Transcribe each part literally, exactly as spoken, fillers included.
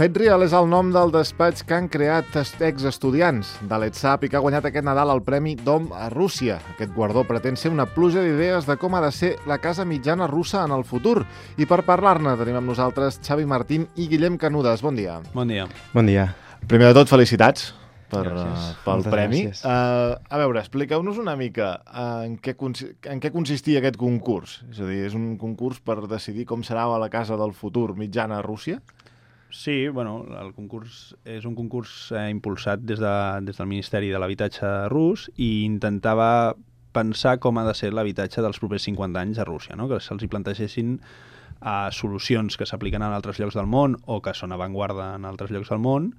SiteReal és el nom del despatx que han creat exestudiants de l'ETSAP i que ha guanyat aquest Nadal el Premi Dom a Rússia. Aquest guardó pretén ser una pluja d'idees de com ha de ser la casa mitjana russa en el futur. I per parlar-ne tenim amb nosaltres Xavi Martín i Guillem Canudes. Bon dia. Bon dia. Bon dia. Primer de tot, felicitats per, uh, pel Moltes premi. gràcies. Uh, a veure, expliqueu-nos una mica uh, en, què consi- en què consistia aquest concurs. És a dir, és un concurs per decidir com serà la casa del futur mitjana a Rússia? Sí, bueno, el concurs és un concurs eh, impulsat des, de, des del Ministeri de l'Habitatge rus i intentava pensar com ha de ser l'habitatge dels propers cinquanta anys a Rússia, no? Que se'ls hi plantegessin uh, solucions que s'apliquen en altres llocs del món o que són avantguarda en altres llocs del món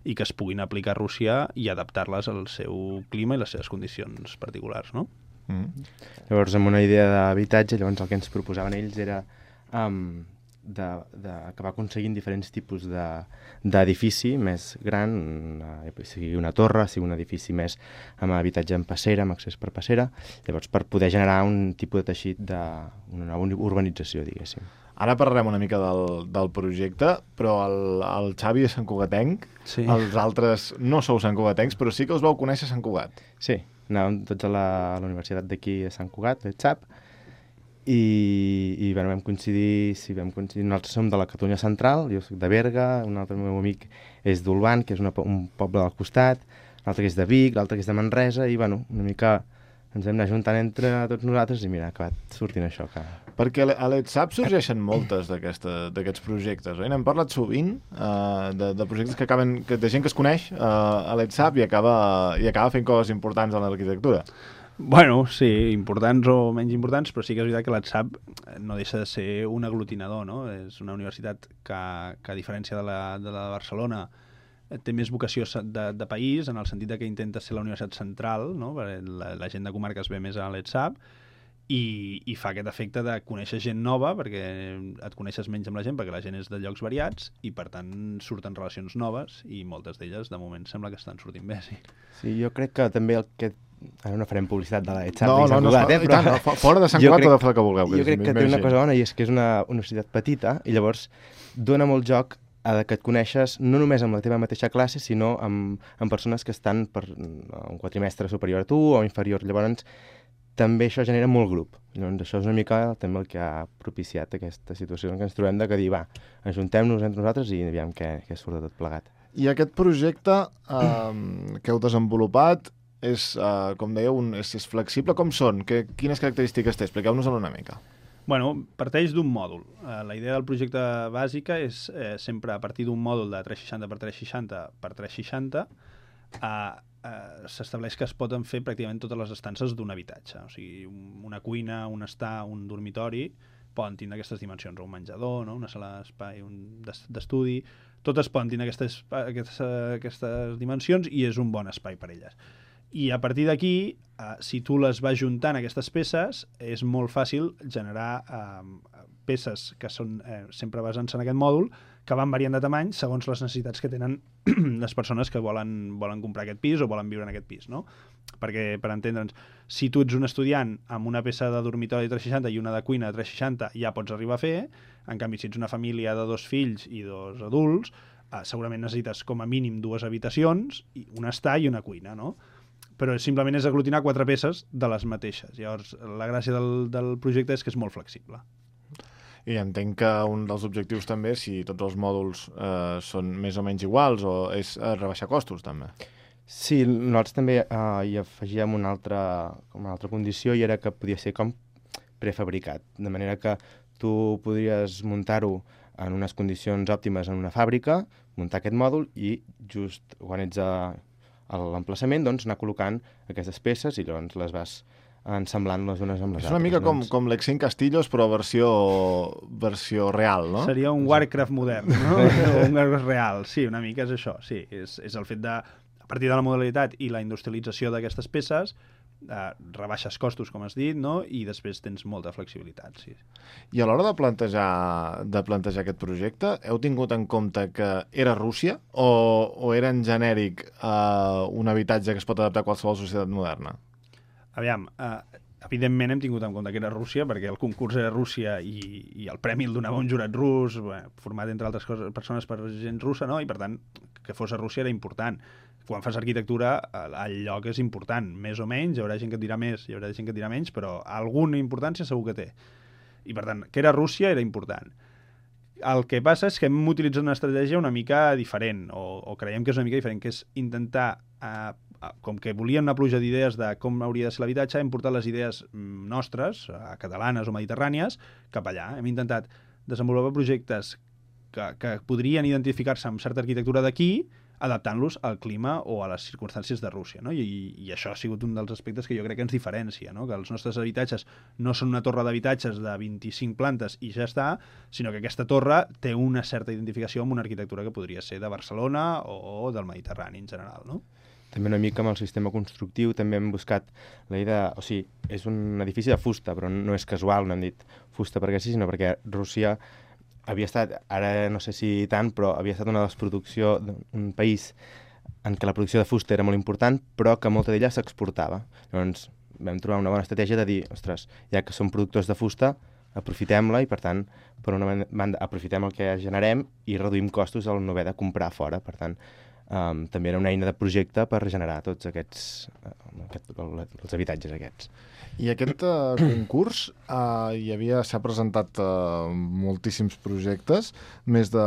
i que es puguin aplicar a Rússia i adaptar-les al seu clima i les seves condicions particulars, no? Mm. Llavors, amb una idea d'habitatge, llavors el que ens proposaven ells era um, de, de, acabar aconseguint diferents tipus d'edifici de, més gran, una, sigui una torre, sigui un edifici més amb habitatge en passera, amb accés per passera, llavors per poder generar un tipus de teixit d'una nova urbanització, diguéssim. Ara parlarem una mica del, del projecte, però el, el Xavi és santcugatenc, Sí. Els altres no sou santcugatencs, però sí que us vau conèixer a Sant Cugat. Sí, anàvem tots a la, a la universitat d'aquí a Sant Cugat, l'ETSAP, i, i bueno, vam coincidir, sí, vam coincidir, nosaltres som de la Catalunya Central, jo soc de Berga, un altre meu amic és d'Olvan, que és una, un poble del costat, l'altre que és de Vic, l'altre que és de Manresa, i bueno, una mica ens hem anat juntant entre tots nosaltres i mira, ha acabat sortint això. Que... Perquè a l'ETSAP sorgeixen moltes d'aquests projectes, oi? N'hem parlat sovint uh, de, de projectes que acaben, que, de gent que es coneix uh, a l'ETSAP i acaba, i acaba fent coses importants en l'arquitectura. Bueno, sí, importants o menys importants, però sí que és veritat que l'ETSAP no deixa de ser un aglutinador, no? És una universitat que, que a diferència de la de, la de Barcelona, té més vocació de, de país, en el sentit que intenta ser la universitat central, no? La, la gent de comarques ve més a l'ETSAP, i, i fa aquest efecte de conèixer gent nova, perquè et coneixes menys amb la gent, perquè la gent és de llocs variats, i per tant surten relacions noves, i moltes d'elles de moment sembla que estan sortint bé, sí. Sí, jo crec que també el que... Ara no farem publicitat de l'ETSAP no, i Sant no, Cugat, no, eh? Però... tant, no, fora de Sant Cugat o de fora que vulgueu. Jo crec que té una cosa bona, i és que és una universitat petita, i llavors dona molt joc a que et coneixes no només amb la teva mateixa classe, sinó amb, amb persones que estan per un quatrimestre superior a tu o inferior. Llavors, també això genera molt grup. Llavors, això és una mica també el que ha propiciat aquesta situació en què ens trobem de que dir, va, ajuntem-nos entre nosaltres i aviam què, què surt de tot plegat. I aquest projecte eh, que heu desenvolupat és, eh, com dèieu, un, és, és flexible. Com són? Que, quines característiques té? Expliqueu-nos-en una mica. Bueno, parteix d'un mòdul. Uh, la idea del projecte bàsica és eh, sempre a partir d'un mòdul de tres seixanta per tres seixanta per tres seixanta uh, uh, s'estableix que es poden fer pràcticament totes les estances d'un habitatge. O sigui, una cuina, un estar, un dormitori, poden tindre aquestes dimensions, un menjador, no? Una sala d'espai d'estudi, totes poden tindre aquestes, aquestes, aquestes dimensions i és un bon espai per elles. I a partir d'aquí, eh, si tu les vas juntant aquestes peces, és molt fàcil generar eh, peces que són eh, sempre basant-se en aquest mòdul, que van variant de tamany segons les necessitats que tenen les persones que volen, volen comprar aquest pis o volen viure en aquest pis, no? Perquè, per entendre'ns, si tu ets un estudiant amb una peça de dormitori de tres seixanta i una de cuina de tres seixanta, ja pots arribar a fer. En canvi, si ets una família de dos fills i dos adults, eh, segurament necessites com a mínim dues habitacions, un estar i una cuina, no? Però simplement és aglutinar quatre peces de les mateixes. Llavors, la gràcia del, del projecte és que és molt flexible. I entenc que un dels objectius també, si tots els mòduls eh, són més o menys iguals, o és eh, rebaixar costos, també. Sí, nosaltres també eh, hi afegíem una altra, com una altra condició, i era que podia ser com prefabricat, de manera que tu podries muntar-ho en unes condicions òptimes en una fàbrica, muntar aquest mòdul, i just quan ets a a l'emplaçament, doncs, anar col·locant aquestes peces i llavors les vas ensemblant les unes amb les altres. És una mica com, com l'Excent Castillos, però versió, versió real, no? Seria un Warcraft modern, no? Un Warcraft real, sí, una mica és això, sí. És, és el fet de a partir de la modalitat i la industrialització d'aquestes peces, eh, rebaixes costos, com has dit, no? I després tens molta flexibilitat. Sí. I a l'hora de plantejar, de plantejar aquest projecte, heu tingut en compte que era Rússia o, o era en genèric eh, un habitatge que es pot adaptar a qualsevol societat moderna? Aviam, eh, evidentment hem tingut en compte que era Rússia, perquè el concurs era Rússia i, i el premi el donava un jurat rus, bé, format entre altres coses, persones per gent russa, no? I per tant, que fos a Rússia era important. Quan fas arquitectura, el lloc és important, més o menys, hi haurà gent que et dirà més, hi haurà gent que et dirà menys, però alguna importància segur que té. I per tant, que era Rússia era important. El que passa és que hem utilitzat una estratègia una mica diferent, o, o creiem que és una mica diferent, que és intentar, eh, com que volien una pluja d'idees de com hauria de ser l'habitatge, hem portat les idees nostres, eh, catalanes o mediterrànies, cap allà. Hem intentat desenvolupar projectes que, que podrien identificar-se amb certa arquitectura d'aquí, adaptant-los al clima o a les circumstàncies de Rússia, no? I, i això ha sigut un dels aspectes que jo crec que ens diferencia, no? Que els nostres habitatges no són una torre d'habitatges de vint-i-cinc plantes i ja està, sinó que aquesta torre té una certa identificació amb una arquitectura que podria ser de Barcelona o del Mediterrani en general, no? També una mica amb el sistema constructiu també hem buscat la idea, o sigui, és un edifici de fusta, però no és casual, no hem dit fusta perquè sí, sinó perquè Rússia havia estat, ara no sé si tant, però havia estat una de les produccions d'un país en què la producció de fusta era molt important, però que molta d'ella s'exportava. Llavors vam trobar una bona estratègia de dir, ostres, ja que som productors de fusta, aprofitem-la i, per tant, per una banda, aprofitem el que generem i reduïm costos al no haver de comprar fora. Per tant, um, també era una eina de projecte per regenerar tots aquests, uh, aquest, els habitatges aquests. I aquest uh, concurs uh, hi havia, s'ha presentat uh, moltíssims projectes, més de,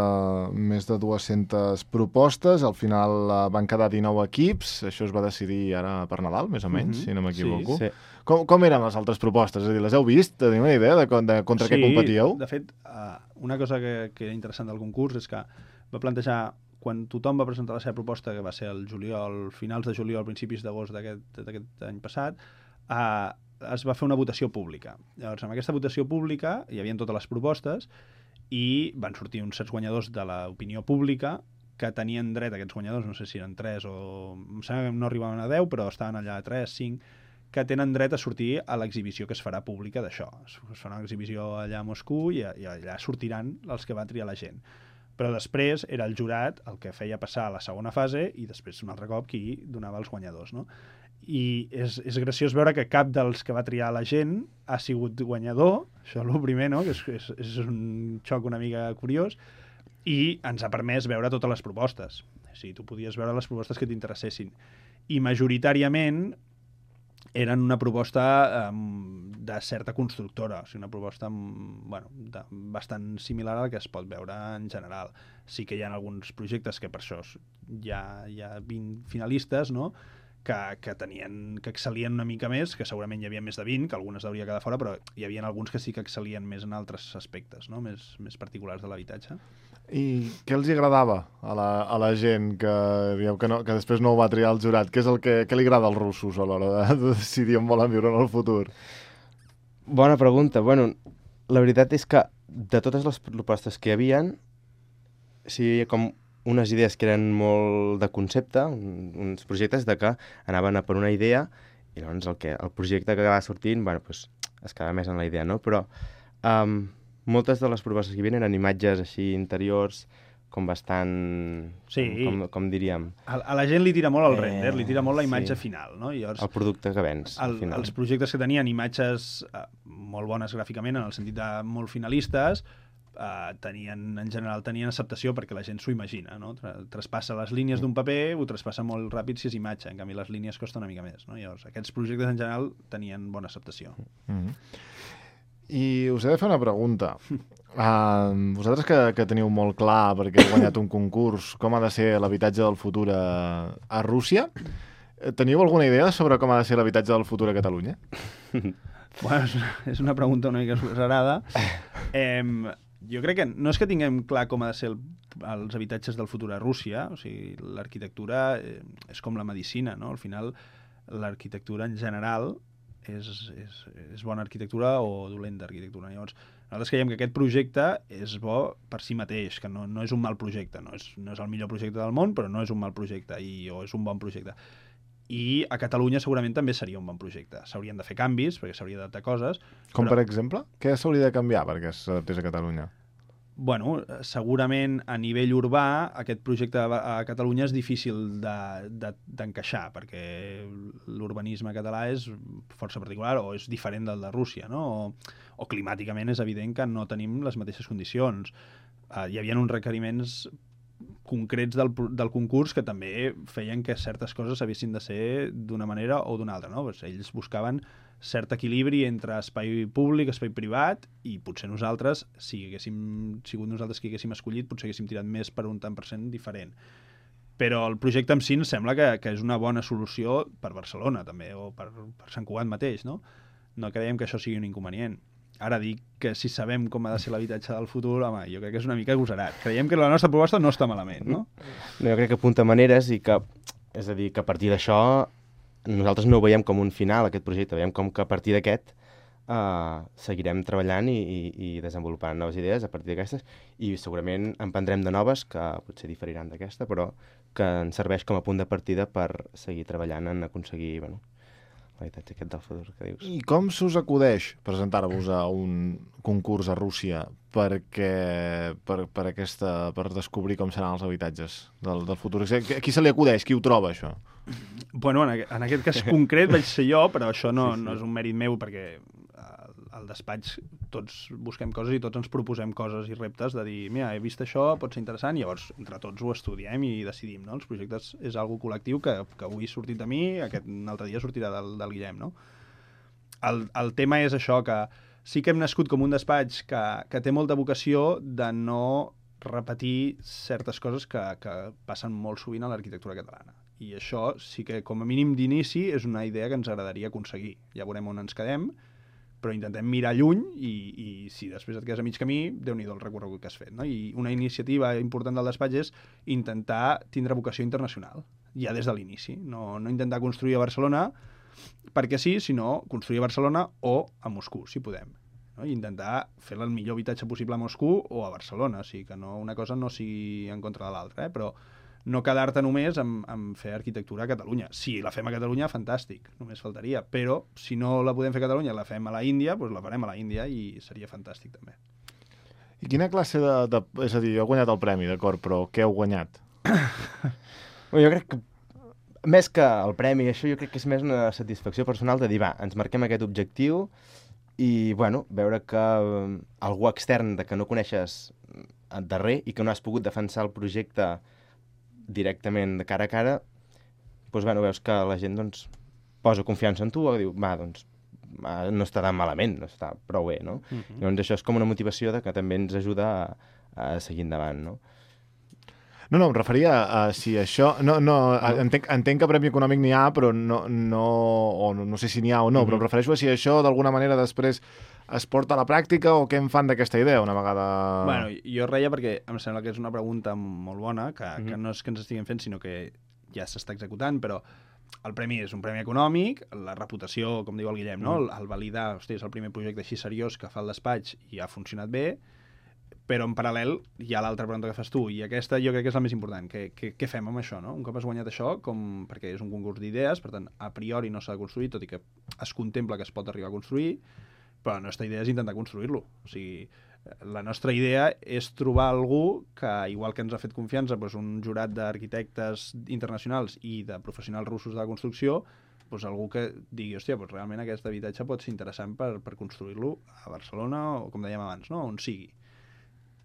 més de dues-centes propostes, al final uh, van quedar dinou equips, això es va decidir ara per Nadal, més o menys, mm-hmm. si no m'equivoco. Sí, sí. Com, com eren les altres propostes? És a dir, les heu vist? Teniu una idea de, de contra sí, què competíeu? De fet, uh, una cosa que, que era interessant del concurs és que va plantejar, quan tothom va presentar la seva proposta, que va ser el juliol, finals de juliol, principis d'agost d'aquest any passat, uh, es va fer una votació pública. Llavors, amb aquesta votació pública hi havia totes les propostes i van sortir uns certs guanyadors de l'opinió pública que tenien dret, aquests guanyadors, no sé si eren tres o... em sembla que no arribaven a deu, però estaven allà a tres, cinc, que tenen dret a sortir a l'exhibició que es farà pública d'això. Es farà una exhibició allà a Moscou i, i allà sortiran els que va triar la gent. Però després era el jurat el que feia passar a la segona fase i després un altre cop qui donava els guanyadors, no? I és, és graciós veure que cap dels que va triar la gent ha sigut guanyador, això és el primer, no? Que és, és, és un xoc una mica curiós, i ens ha permès veure totes les propostes. O sigui, tu podies veure les propostes que t'interessessin. I majoritàriament eren una proposta um, de certa constructora, o sigui, una proposta bueno, de, bastant similar a la que es pot veure en general. Sí que hi ha alguns projectes que per això hi ha, hi ha vint finalistes, no?, que, que tenien, que excel·lien una mica més, que segurament hi havia més de vint, que algunes hauria quedar fora, però hi havia alguns que sí que excel·lien més en altres aspectes, no?, més, més particulars de l'habitatge. I què els agradava a la, a la gent que, dieu, que, no, que després no ho va triar el jurat? Què és el que, què li agrada als russos a l'hora de, de decidir on volen viure en el futur? Bona pregunta. Bueno, la veritat és que de totes les propostes que hi havia, sí, hi havia com unes idees que eren molt de concepte, un, uns projectes de que anaven a per una idea i llavors el, que, el projecte que acabava sortint, bueno, pues, es quedava més en la idea, no? Però um, moltes de les propostes que hi havia eren imatges així interiors, com bastant... Sí. Com, com, com diríem... A, a la gent li tira molt el render, eh, li tira molt la imatge sí. final, no? I llavors, el producte que vens, el, al final. Els projectes que tenien imatges eh, molt bones gràficament, en el sentit de molt finalistes, Uh, tenien, en general tenien acceptació perquè la gent s'ho imagina, no? Traspassa les línies d'un paper, ho traspassa molt ràpid si és imatge, en canvi les línies costen una mica més, no? Llavors, aquests projectes en general tenien bona acceptació. Mm-hmm. I us he de fer una pregunta. Uh, vosaltres que, que teniu molt clar, perquè heu guanyat un concurs, com ha de ser l'habitatge del futur a, a Rússia, teniu alguna idea sobre com ha de ser l'habitatge del futur a Catalunya? Bueno, és una pregunta una mica esgusarada. Eh, jo crec que no és que tinguem clar com ha de ser el, els habitatges del futur a Rússia, o sigui, l'arquitectura eh, és com la medicina, no? Al final, l'arquitectura en general és, és, és bona arquitectura o dolenta arquitectura. Llavors, nosaltres creiem que aquest projecte és bo per si mateix, que no, no és un mal projecte, no és, no és el millor projecte del món, però no és un mal projecte, i, o és un bon projecte. I a Catalunya segurament també seria un bon projecte. S'haurien de fer canvis, perquè s'hauria d'adaptar coses. Com però... per exemple? Què s'hauria de canviar perquè s'adaptés a Catalunya? Bueno, segurament a nivell urbà aquest projecte a Catalunya és difícil d'encaixar, de, de, perquè l'urbanisme català és força particular o és diferent del de Rússia, no? O, o climàticament és evident que no tenim les mateixes condicions. Uh, hi havia uns requeriments concrets del, del concurs que també feien que certes coses haguessin de ser d'una manera o d'una altra, no? Pues ells buscaven cert equilibri entre espai públic, espai privat, i potser nosaltres, si haguéssim sigut nosaltres qui haguéssim escollit, potser haguéssim tirat més per un tant per cent diferent. Però el projecte en si em sembla que, que és una bona solució per Barcelona, també, o per, per Sant Cugat mateix, no? No creiem que això sigui un inconvenient. Ara dic que si sabem com ha de ser l'habitatge del futur, home, jo crec que és una mica agosarat. Creiem que la nostra proposta no està malament, no? No, jo crec que apunta maneres i que, és a dir, que a partir d'això nosaltres no ho veiem com un final, aquest projecte, veiem com que a partir d'aquest uh, seguirem treballant i, i, i desenvolupant noves idees a partir d'aquestes, i segurament en prendrem de noves, que potser diferiran d'aquesta, però que ens serveix com a punt de partida per seguir treballant en aconseguir, bueno, l'habitatge aquest del futur que dius. I com s'us acudeix presentar-vos a un concurs a Rússia perquè, per, per, aquesta, per descobrir com seran els habitatges del, del futur? A qui se li acudeix? Qui ho troba, això? Bueno, en, en aquest cas concret vaig ser jo, però això no, sí, sí. no és un mèrit meu, perquè al despatx tots busquem coses i tots ens proposem coses i reptes de dir, mira, he vist això, pot ser interessant, i llavors entre tots ho estudiem i decidim, no? Els projectes és algo col·lectiu que, que avui ha sortit de mi, aquest un altre dia sortirà del, del Guillem, no? El, el tema és això, que sí que hem nascut com un despatx que, que té molta vocació de no repetir certes coses que, que passen molt sovint a l'arquitectura catalana. I això sí que, com a mínim d'inici, és una idea que ens agradaria aconseguir. Ja veurem on ens quedem, però intentem mirar lluny i, i si després et quedes a mig camí, déu-n'hi-do el recorregut que has fet, no? I una iniciativa important del despatx és intentar tindre vocació internacional, ja des de l'inici. No, no intentar construir a Barcelona perquè sí, sinó construir a Barcelona o a Moscou, si podem. No? I intentar fer el millor habitatge possible a Moscou o a Barcelona, o sigui que no, una cosa no sigui en contra de l'altra, eh? Però no quedar-te només en, en fer arquitectura a Catalunya. Si la fem a Catalunya, fantàstic, només faltaria. Però si no la podem fer a Catalunya, la fem a la Índia, doncs la farem a la Índia i seria fantàstic també. I quina classe de... de és a dir, heu guanyat el premi, d'acord, però què heu guanyat? Bueno, jo crec que més que el premi, això jo crec que és més una satisfacció personal de dir, va, ens marquem aquest objectiu i, bueno, veure que um, algú extern de que no coneixes darrer i que no has pogut defensar el projecte directament de cara a cara, doncs, bueno, veus que la gent doncs, posa confiança en tu o diu, va, doncs, no està tan malament, no està prou bé, no? Uh-huh. Llavors això és com una motivació de que també ens ajuda a, a seguir endavant, no? No, no, em referia a, a si això... No, no, no. Entenc, entenc que premi econòmic n'hi ha, però no, no, o no, no sé si n'hi ha o no, uh-huh. però em refereixo a si això d'alguna manera després es porta a la pràctica o què en fan d'aquesta idea una vegada... Bueno, jo reia perquè em sembla que és una pregunta molt bona, que, mm-hmm. que no és que ens estiguem fent, sinó que ja s'està executant, però el premi és un premi econòmic, la reputació, com diu el Guillem, no? Mm-hmm. el, el validar, hosti, és el primer projecte així seriós que fa el despatx i ha funcionat bé, però en paral·lel hi ha l'altra pregunta que fas tu, i aquesta jo crec que és la més important. Què, què, què fem amb això, no? Un cop has guanyat això, com, perquè és un concurs d'idees, per tant, a priori no s'ha de construir, tot i que es contempla que es pot arribar a construir, però la nostra idea és intentar construir-lo. O sigui, la nostra idea és trobar algú que, igual que ens ha fet confiança, doncs un jurat d'arquitectes internacionals i de professionals russos de la construcció, doncs algú que digui, hòstia, doncs realment aquest habitatge pot ser interessant per, per construir-lo a Barcelona o, com dèiem abans, no? On sigui,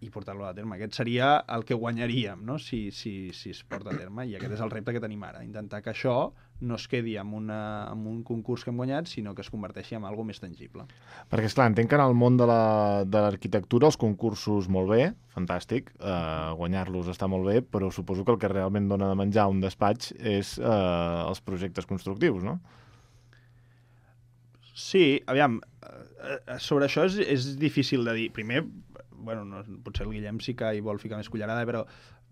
i portar-lo a terme. Aquest seria el que guanyaríem, no? si, si, si es porta a terme, i aquest és el repte que tenim ara, intentar que això no es quedi en, una, en un concurs que hem guanyat, sinó que es converteixi en alguna més tangible. Perquè, esclar, entenc que en el món de l'arquitectura els concursos molt bé, fantàstic, eh, guanyar-los està molt bé, però suposo que el que realment dona de menjar un despatx és eh, els projectes constructius, no? Sí, aviam, sobre això és, és difícil de dir. Primer, bueno, no, potser el Guillem sí que hi vol ficar més cullerada, però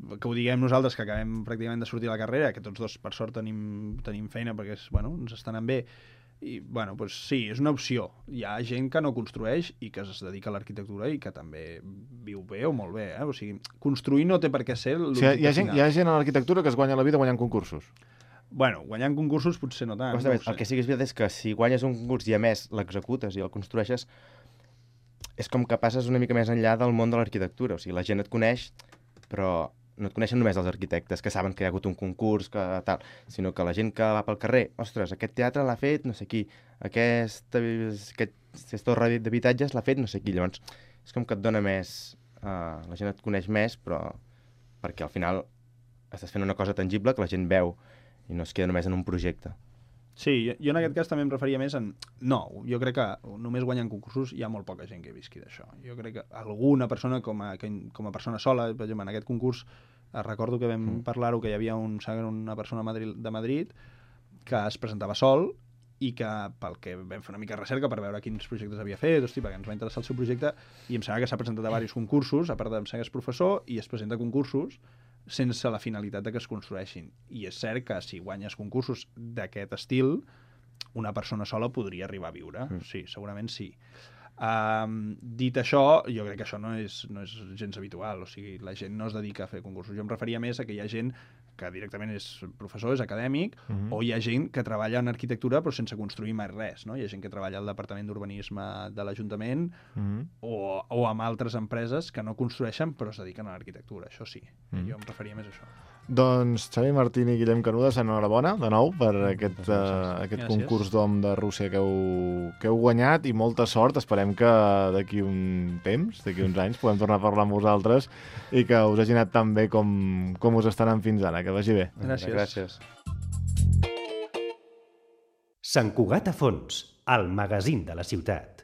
que ho diguem nosaltres, que acabem pràcticament de sortir a la carrera, que tots dos, per sort, tenim, tenim feina perquè és, bueno, ens estan anant bé. I, bueno, doncs sí, és una opció. Hi ha gent que no construeix i que es dedica a l'arquitectura i que també viu bé o molt bé. Eh? O sigui, construir no té per què ser l'objecte final. O sigui, hi ha gent, hi ha gent a l'arquitectura que es guanya la vida guanyant concursos. Bueno, guanyant concursos potser no tant. No no el que sí que és veritat és que si guanyes un concurs i a més l'executes i el construeixes, és com que passes una mica més enllà del món de l'arquitectura. O sigui, la gent et coneix, però no et coneixen només els arquitectes que saben que hi ha hagut un concurs, que tal, sinó que la gent que va pel carrer, ostres, aquest teatre l'ha fet no sé qui, aquest, aquest, aquest torre d'habitatges l'ha fet no sé qui. Llavors, és com que et dona més... Uh, la gent et coneix més, però perquè al final estàs fent una cosa tangible que la gent veu i no es queda només en un projecte. Sí, jo en aquest cas també em referia més en... No, jo crec que només guanyant concursos hi ha molt poca gent que visqui d'això. Jo crec que alguna persona com a, com a persona sola, per exemple, en aquest concurs, recordo que vam mm. parlar-ho, que hi havia un, una persona de Madrid que es presentava sol i que pel que vam fer una mica de recerca per veure quins projectes havia fet, hosti, perquè ens va interessar el seu projecte, i em sembla que s'ha presentat a diversos concursos, a part de em sembla que és professor, i es presenta a concursos sense la finalitat de que es construeixin. I és cert que si guanyes concursos d'aquest estil, una persona sola podria arribar a viure. Mm. Sí, segurament sí. Um, dit això, jo crec que això no és, no és gens habitual. O sigui, la gent no es dedica a fer concursos. Jo em referia més a que hi ha gent que directament és professor, és acadèmic, mm-hmm. o hi ha gent que treballa en arquitectura però sense construir mai res, no? Hi ha gent que treballa al Departament d'Urbanisme de l'Ajuntament mm-hmm. o, o amb altres empreses que no construeixen però es dediquen a l'arquitectura, això sí. Mm-hmm. Jo em referia més a això. Doncs Xavi Martín i Guillem Canudes, enhorabona de nou per aquest, uh, aquest concurs d'Om de Rússia que heu, que heu guanyat i molta sort. Esperem que d'aquí un temps, d'aquí uns anys, podem tornar a parlar amb vosaltres i que us hagi anat tan bé com, com us estan anant fins ara. Que vagi bé. Gràcies. Gràcies. Sant Cugat a fons, el magazín de la ciutat.